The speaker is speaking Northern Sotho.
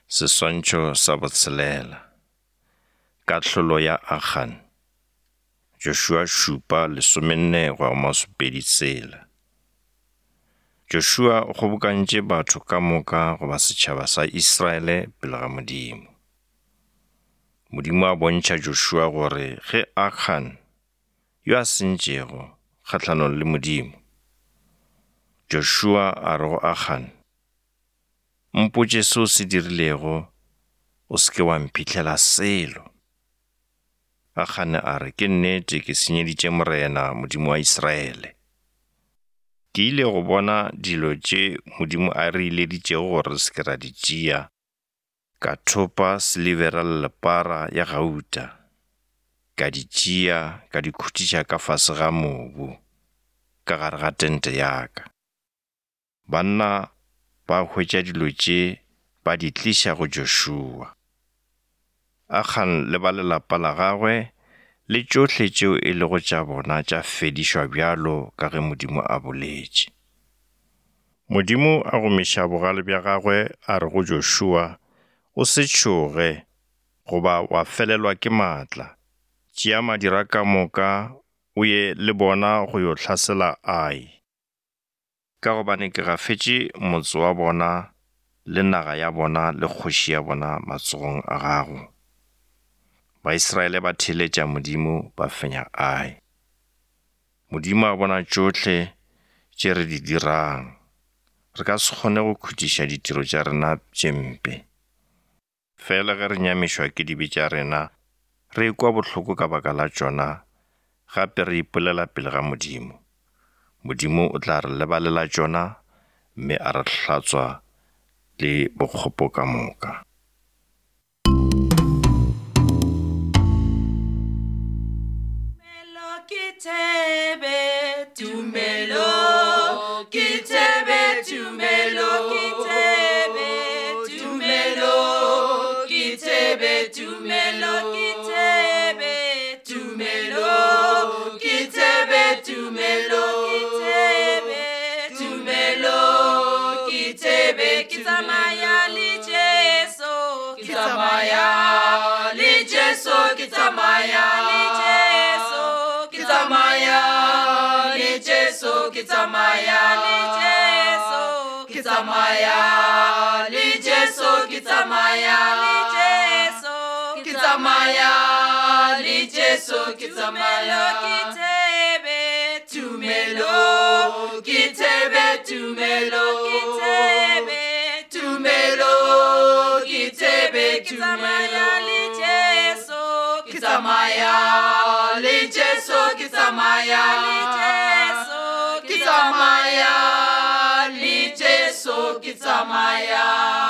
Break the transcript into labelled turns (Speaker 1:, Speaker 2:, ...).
Speaker 1: Seswantšho sa botshelela. Kahlolo ya Akhan. Joshua šupa lesomenne go ya go masopedi tshela. Joshua o kgobokantše batho ka moka goba setšhaba sa Israele pele ga Modimo. Modimo a bontšha Joshua gore ge Akhan, yo a sentšego kgahlanong le Modimo, Joshua a re go Akhan, Mpotše se o se dirilego, o se ke wa mphihlela selo. Akgane a re, Ke nnete ke senyeditše Morena Modimo wa Israele. Ke ile go bona dilo tše Modimo a re ileditšego gore re se ke ra di tšea, ka thopa silibera le lepara ya gauta, ka di tšea ka di khutiša ka fase ga mobu, ka gare ga tente ya ka. Banna ba hwetša dilo tše ba di tliša go Joshua. Akhan le ba lelapa la gagwe le tšohle tšeo e lego tša bona tša fedišwa bjalo ka ge Modimo a boletše. Modimo a gomiša bogale bja gagwe a re go Joshua, O se tšhoge goba wa felelwa ke matla. Tšea madira ka moka o ye le bona go yo hlasela Ai. Ka gobane ke gafetše motse wa bona le naga ya bona le kgoši ya bona matsogong a gago. Baisraele ba theeletša Modimo ba fenya Ai. Modimo a bona tšohle tše re di dirang. Re ka se kgone go khutiša ditiro tša rena tše mpe. Fela ge re nyamišwa ke dibe tša rena, re ekwa bohloko ka baka la tšona, gape re ipolela pele ga Modimo. Modimo o tla re lebalela tšona mme a re hlatswa le bokgopo ka moka.
Speaker 2: Tumelo ke thebe, tumelo ke thebe, tumelo ke thebe, tumelo ke thebe, tumelo ke thebe, tumelo ke thebe, tumelo ke thebe, tumelo ke thebe, ke tsamaya le Jesu, ke tsamaya le Jesu, ke tsamaya le Jesu, ke tsamaya le Jesu, ke tsamaya le Jesu, ke tsamaya le Jesu, ke tsamaya le Jesu, ke tsamaya le Jesu, ke tsamaya ke thebe, tumelo ke thebe, tumelo ke thebe, tumelo ke thebe, ke tsamaya le Jesu, ke tsamaya le Jesu, ke tsamaya le Jesu, ke tsamaya le Jesu, ke tsamaya.